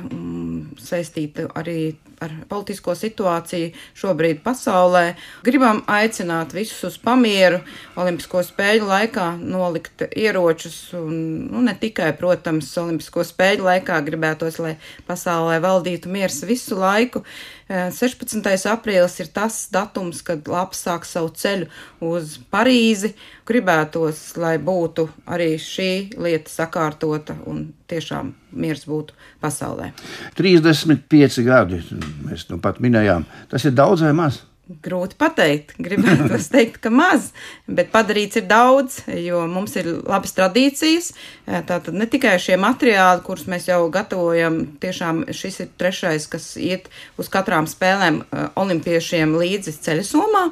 saistītu arī ar politisko situāciju šobrīd pasaulē. Gribam aicināt visus uz pamieru Olimpisko spēļu laikā nolikt ieročus un ne tikai, protams, Olimpisko spēļu laikā gribētos, lai pasaulē valdītu miers visu laiku. 16. aprīlis ir tas datums, kad Laps sāk savu ceļu uz Parīzi. Gribētos, lai būtu arī šī lieta sakārtota un tiešām miers būtu pasaulē. 35 gadi, mēs pat minējām, tas ir daudz vai maz? Grūti pateikt, gribētu teikt, ka maz, bet padarīts ir daudz, jo mums ir labas tradīcijas. Tātad ne tikai šie materiāli, kurus mēs jau gatavojam, tiešām šis ir 3., kas iet uz katrām spēlēm olimpiešiem līdzi ceļasomā.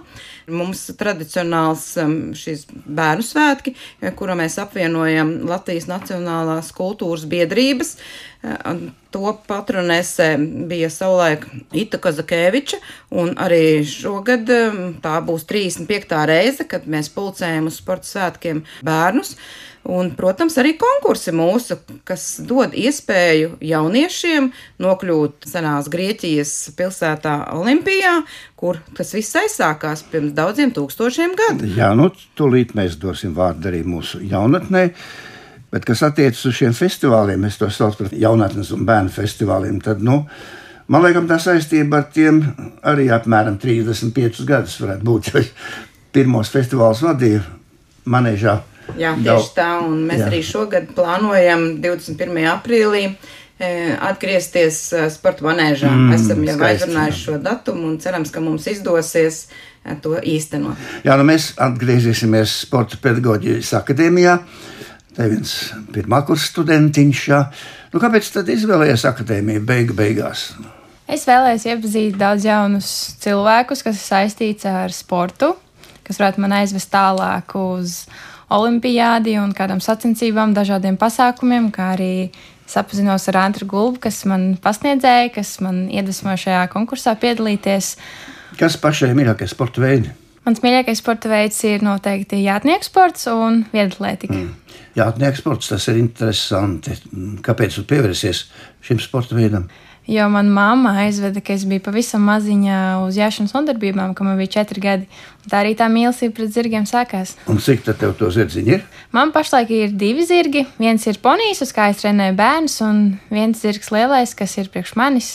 Mums tradicionāls šis bērnu svētki, kura mēs apvienojam Latvijas Nacionālās kultūras biedrības. To patronēsē bija savulaik Ita Kazakēviča, un arī šogad tā būs 35. reize, kad mēs pulcējam uz sporta svētkiem bērnus. Un, protams, arī konkursi mūsu, kas dod iespēju jauniešiem nokļūt senās Grieķijas pilsētā Olimpijā, kur tas viss aizsākās pirms daudziem tūkstošiem gadu. Jā, tūlīt mēs dosim vārdu arī mūsu jaunatnē. Bet, kas attiecas uz šiem festivāliem, es to saucu par jaunatnes un bērnu festivāliem, tad, man liekas, tā saistība ar tiem arī apmēram 35 gadus varētu būt, jo pirmos festivālus vadīja Manēžā. Jā, tieši tā, un mēs arī šogad plānojam 21. aprīlī atgriezties sporta manēžā. Esam jau aizrunājuši šo datumu un cerams, ka mums izdosies to īstenot. Jā, mēs atgriezīsimies Sporta pedagoģijas akadēmijā. Tā ir viens pirmākurs studentiņš. Kāpēc tad izvēlējies akadēmiju beigās? Es vēlējos iepazīt daudz jaunus cilvēkus, kas ir saistīts ar sportu, kas varētu man aizvest tālāk uz olimpiādi un kādām sacensībām, dažādiem pasākumiem, kā arī sapazinos ar Antru Gulbu, kas man pasniedzēja, kas man iedvesmoja šajā konkursā piedalīties. Kas pašai mīļākais sporta veidi? Mans mīļākais sporta veids ir noteikti jātnieku sports un vieglatlētika. Jātnieku sports, tas ir interesanti. Kāpēc tu pievērsies šim sporta veidam? Jo manā mamma aizveda, ka es biju pavisam maziņa uz jāšanas nodarbībām, kad man bija 4 gadi. Tā arī tā mīlestība pret zirgiem sākās. Un cik tad tev to zirdziņi ir? Man pašlaik ir 2 zirgi. Viens ir ponijs, uz kā es trenēju bērnus, un viens zirgs lielais, kas ir priekš manis,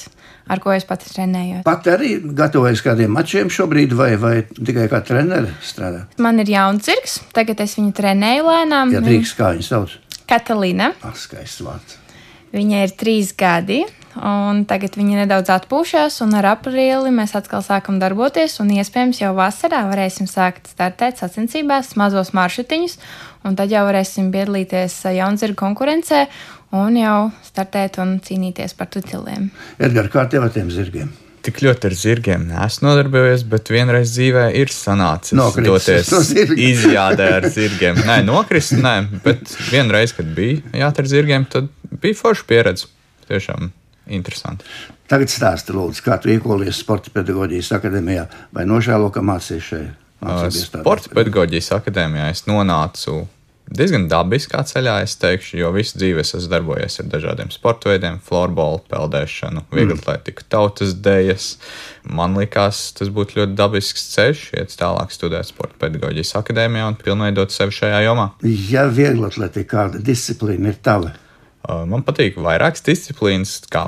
ar ko es pati trenēju. Pat arī gatavojas kādiem mačiem šobrīd, vai tikai kā treneri strādā? Man ir jauns zirgs, tagad es viņu trenēju lēnām. Ja drīkst, kā viņas sauc? Katalīna. Skaists vārds. Viņai ir 3 gadi, un tagad viņa nedaudz atpūšas, un ar aprīli mēs atkal sākam darboties, un iespējams jau vasarā varēsim sākt startēt sacensībās, mazos maršrutiņus, un tad jau varēsim piedalīties jaunzirgu konkurencē un jau startēt un cīnīties par tituliem. Edgar, kā tev ar tiem zirgiem? Tik ļoti ar zirgiem neesmu nodarbojies, bet vienreiz dzīvē ir sanācis doties izjādē ar zirgiem. Nē, nokrist, nē, bet vienreiz, kad bija jāat ar zirgiem, tad bija forša pieredze. Tiešām interesanti. Tagad stāsti, lūdzu, kā tu iekolies Sporta pedagoģijas akadēmijā vai nožēlo, ka mācījies šeit? Sporta pedagoģijas akadēmijā es nonācu diezgan dabiskā ceļā, es teikšu, jo visu dzīvi es esmu darbojies ar dažādiem sporta veidiem, florbolu, peldēšanu, vieglatlētiku, tautas dejas. Man likās, tas būtu ļoti dabisks ceļš, iet tālāk studēt Sporta pedagoģijas akadēmijā un pilnveidot sevi šajā jomā. Ja vieglatletika, kāda disciplīna ir tava? Man patīk vairākas disciplīnas, kā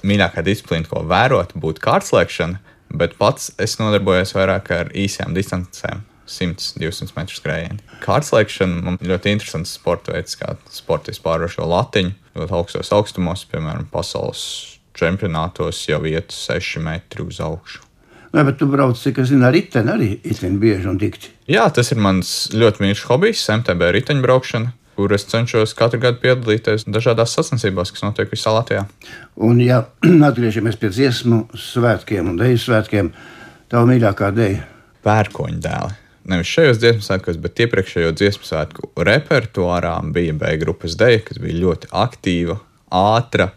mīļākā disciplīna, ko vērot, būtu kārtslēkšana, bet pats es nodarbojos vairāk ar īsām distancēm. 100-200 metru skrējieni. Kārtslēkšana man ļoti interesants sporta veids, kā sportists pārvarošo latiņu. Ļoti augstos augstumos, piemēram, pasaules čempionātos jau iet 6 metri uz augšu. Nē, bet tu brauc, cik es zinu, ar riteni arī bieži un dikti. Jā, tas ir mans ļoti mīļš hobijs, MTB riteņbraukšana, kur es cenšos katru gadu piedalīties dažādās sacensībās, kas notiek visā Latvijā. Un ja atgriežamies pie dziesmu svētkiem un deju svētkiem, tava mīļākā deja? Pērkoņu dēli. Nevis šajos dziesmu svētkos, bet iepriekšējo dziesmu svētku repertuārā bija B grupas deja, kas bija ļoti aktīva, ātra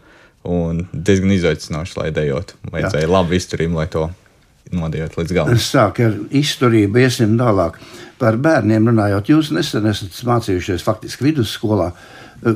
un diezgan izaicinoša, lai dejotu. Vajadzēja labu izturību, lai to nodejot līdz galam. Sāk ar izturību, iesim tālāk. Par bērniem runājot, jūs nesen esat mācījušies faktiski vidusskolā.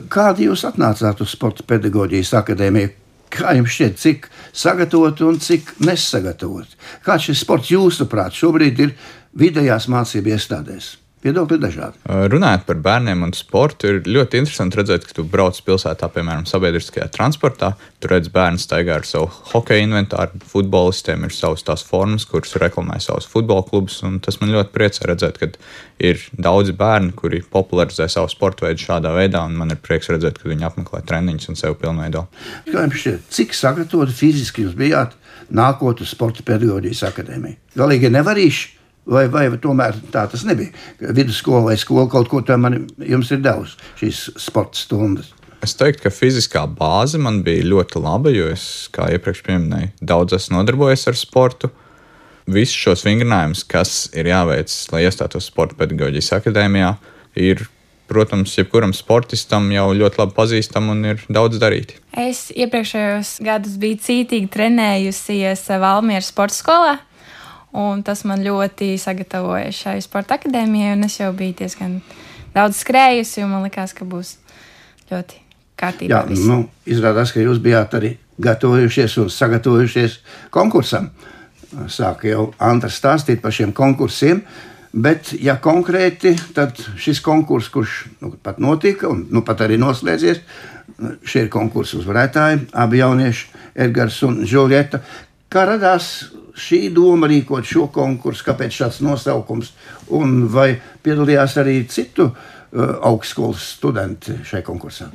Kādi jūs atnācāt uz Sporta pedagoģijas akadēmiju? Kā jums šķiet, cik sagatavot un cik nesagatavot? Kāds šis sports jūsuprāt šobrīd ir vidējās mācību iestādēs? Viedokļi dažādi. Runājot par bērniem un sportu, ir ļoti interesanti redzēt, ka tu brauc pilsētā, piemēram, sabiedriskajā transportā. Tur redz bērnu staigā ar savu hokeja inventāru, futbolistiem ir savas tās formas, kuras reklamē savus futbola klubus. Tas man ļoti priecē redzēt, ka ir daudzi bērni, kuri popularizē savu sporta veidu šādā veidā, un man ir prieks redzēt, ka viņi apmeklē treniņus un sevi pilnveido. Kā jums šķiet, cik sagatavoti fiziski jūs bijāt nākot uz Sporta pedagoģijas akadēmiju? Galīgi nevarīši? Vai tomēr tā tas nebija? Vidusskola vai skola kaut ko tam jums ir devusi šīs sporta stundas? Es teiktu, ka fiziskā bāze man bija ļoti laba, jo es, kā iepriekš pieminēju, daudz esmu nodarbojies ar sportu. Visus šos vingrinājumus, kas ir jāveic, lai iestātos Sporta pedagoģijas akadēmijā, ir, protams, jebkuram sportistam jau ļoti labi pazīstam un ir daudz darīti. Es iepriekšējos gadus biju cītīgi trenējusies Valmieras sporta skolā. Un tas man ļoti sagatavoja šai sporta akadēmijai, un es jau biju diezgan daudz skrējusi, un man likās, ka būs ļoti kārtībā. Jā, izrādās, ka jūs bijāt arī gatavojušies un sagatavojušies konkursam. Sāk jau Anta stāstīt par šiem konkursiem, bet, ja konkrēti, tad šis konkurss, kurš pat notika un pat arī noslēdzies, šie ir konkursu uzvarētāji, abi jaunieši, Edgars un Žuljeta. Kā radās šī doma rīkot šo konkursu, kāpēc šāds nosaukums, un vai piedalījās arī citu augstskolas studenti šai konkursā?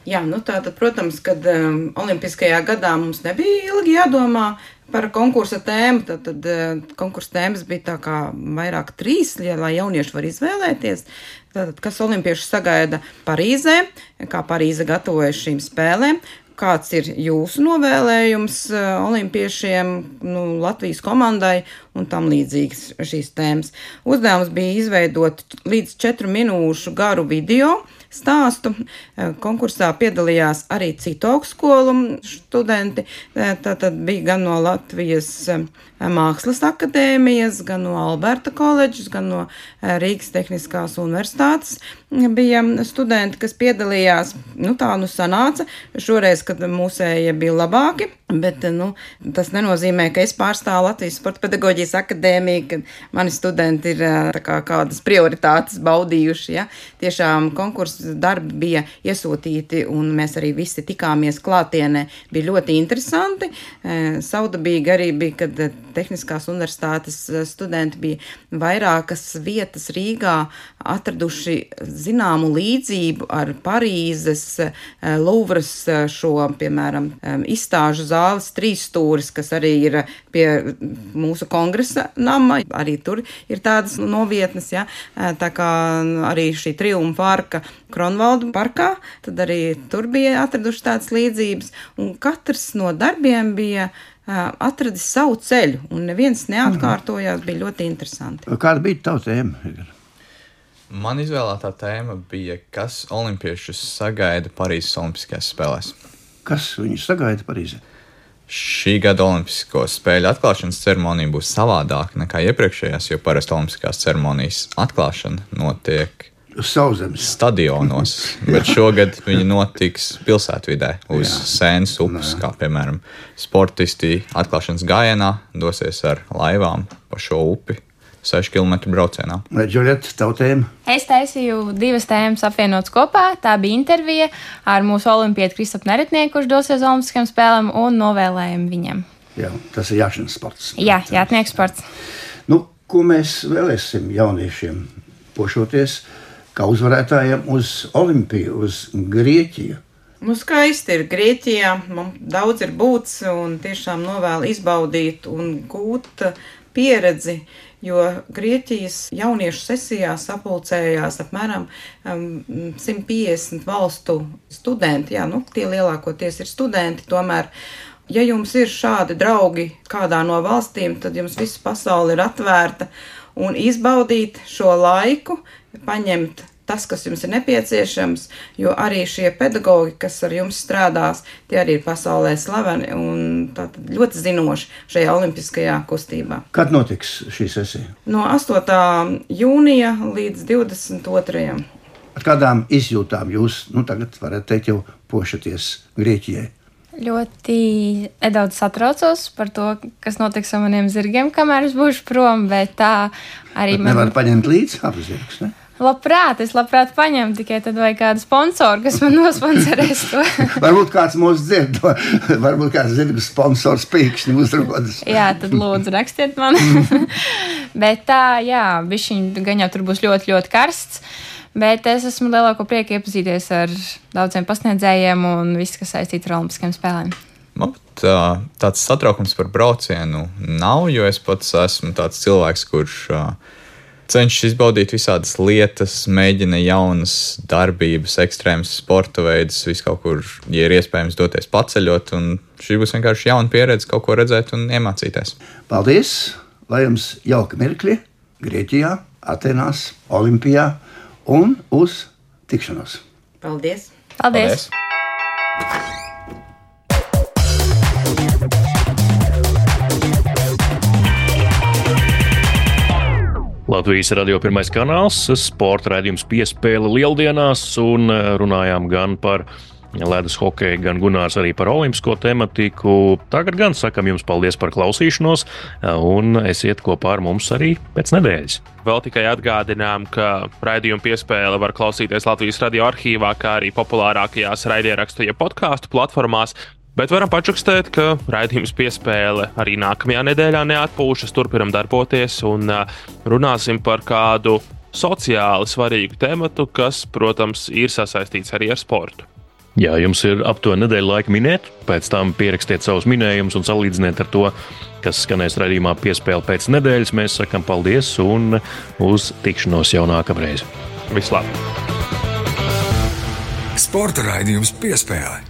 Jā, tātad, protams, kad Olimpiskajā gadā mums nebija ilgi jādomā par konkursa tēmu, tad konkursa tēmas bija tā kā vairāk 3, lai jaunieši var izvēlēties. Tātad, kas olimpiešus sagaida Parīzē, kā Parīze gatavojas šīm spēlēm, kāds ir jūsu novēlējums olimpiešiem, Latvijas komandai un tam līdzīgas šīs tēmas. Uzdevums bija izveidot līdz 4 minūšu garu video stāstu. Konkursā piedalījās arī citu augstskolu studenti. Tātad bija gan no Latvijas Mākslas akadēmijas, gan no Alberta koledžas, gan no Rīgas Tehniskās universitātes. Bija studenti, kas piedalījās. Tā sanāca. Šoreiz, kad mūsējie bija labāki, Bet tas nenozīmē, ka es pārstāvu Latvijas Sporta pedagoģijas akadēmiju, ka mani studenti ir kādas prioritātes baudījuši. Ja? Tiešām konkursu darbi bija iesūtīti, un mēs arī visi tikāmies klātienē. Bija ļoti interesanti. Saudabīgi arī bija, kad Tehniskās universitātes studenti bija vairākas vietas Rīgā atraduši zināmu līdzību ar Parīzes, Louvras šo, piemēram, izstāžu zāles 3 stūris, kas arī ir pie mūsu kongresa nama. Arī tur ir tādas novietnes, ja? Tā kā arī šī Triumfa arka Kronvaldu parkā, tad arī tur bija atraduši tādas līdzības. Un katrs no darbiem bija atradis savu ceļu, un neviens neatkārtojās, bija ļoti interesanti. Kāda bija tava tēma? Man izvēlētā tēma bija, kas olimpiešus sagaida Parīzes Olimpiskajās spēlēs. Kas viņus sagaida Parīzē? Šī gada Olimpisko spēļu atklāšanas ceremonija būs savādāka nekā iepriekšējās, jo parasti Olimpiskās ceremonijas atklāšana notiek Sauszemes stadionos, bet šogad viņi notiks pilsētvidē uz Sēnes upes, kā piemēram sportisti atklāšanas gājienā dosies ar laivām pa šo upi 6 km braucienā. Vai, Džulieta, tavu tēmu? Es taisīju 2 tēmas apvienotas kopā. Tā bija intervija ar mūsu olimpieti Kristapu Neretnieku, kurš dosies uz Olimpiskajām spēlēm, un novēlējumu viņam. Jā, tas ir jāšanas sports. Jā, jātnieku sports. Ko mēs vēlēsim jauniešiem pošoties kā uzvarētājiem uz Olimpiju, uz Grieķiju? Skaisti ir Grieķijā, man daudz ir būts un tiešām novēlu izbaudīt un gūt pieredzi, jo Grieķijas jauniešu sesijā sapulcējās apmēram 150 valstu studenti. Jā, tie lielākoties ir studenti, tomēr, ja jums ir šādi draugi kādā no valstīm, tad jums visa pasaule ir atvērta un izbaudīt šo laiku, paņemt tas, kas jums ir nepieciešams, jo arī šie pedagogi, kas ar jums strādās, tie arī ir pasaulē slaveni un tātad ļoti zinoši šajā olimpiskajā kustībā. Kad notiks šī sesija? No 8. jūnija līdz 22. Ar kādām izjūtām jūs tagad varat teikt jau pošaties Grieķijai? Ļoti nedaudz satraucos par to, kas notiks ar maniem zirgiem, kamēr es būšu prom, bet tā arī man... Nevar paņemt līdzi abus zirgus, ne? Es labprāt paņemu, tikai tad vajag kādu sponsoru, kas man nosponsorēs to. Varbūt kāds mūs dzird, varbūt kāds zirgu sponsors pīkšņi uzrodas. Jā, tad lūdzu rakstiet man. Bet tā, jā, bišķiņ gan jau tur būs ļoti, ļoti karsts. Bet es esmu lielāko prieku iepazīties ar daudziem pasniedzējiem un viss, kas saistīts ar Olimpiskajām spēlēm. Man tāds satraukums par braucienu nav, jo es pats esmu tāds cilvēks, kurš cenšas izbaudīt visādas lietas, mēģina jaunas darbības, ekstrēmas sporta veidus, visu kaut kur, ja ir iespējams doties paceļot, un šī būs vienkārši jauna pieredze, kaut ko redzēt un iemācīties. Paldies! Lai jums jauka mirkļi Grieķijā, Atenās, Olimpijā un uz tikšanos! Paldies! Paldies! Latvijas radio pirmais kanāls, sporta raidījums Piespēle lieldienās, un runājām gan par ledus hokeju, gan Gunārs arī par olimpisko tematiku. Tagad gan sakam jums paldies par klausīšanos, un esiet kopā ar mums arī pēc nedēļas. Vēl tikai atgādinām, ka raidījumu Piespēle var klausīties Latvijas radio arhīvā, kā arī populārākajās raidierakstu ja podkāstu platformās. Bet varam pačukstēt, ka raidījums Piespēle arī nākamajā nedēļā neatpūšas, turpinam darboties un runāsim par kādu sociāli svarīgu tematu, kas, protams, ir sasaistīts arī ar sportu. Jā, jums ir aptuveni nedēļa laika minēt, pēc tam pierakstiet savus minējumus un salīdziniet ar to, kas skanēs raidījumā Piespēle pēc nedēļas. Mēs sakam paldies un uz tikšanos jau nākamreiz. Vislabāk! Sporta raidījums Piespēle.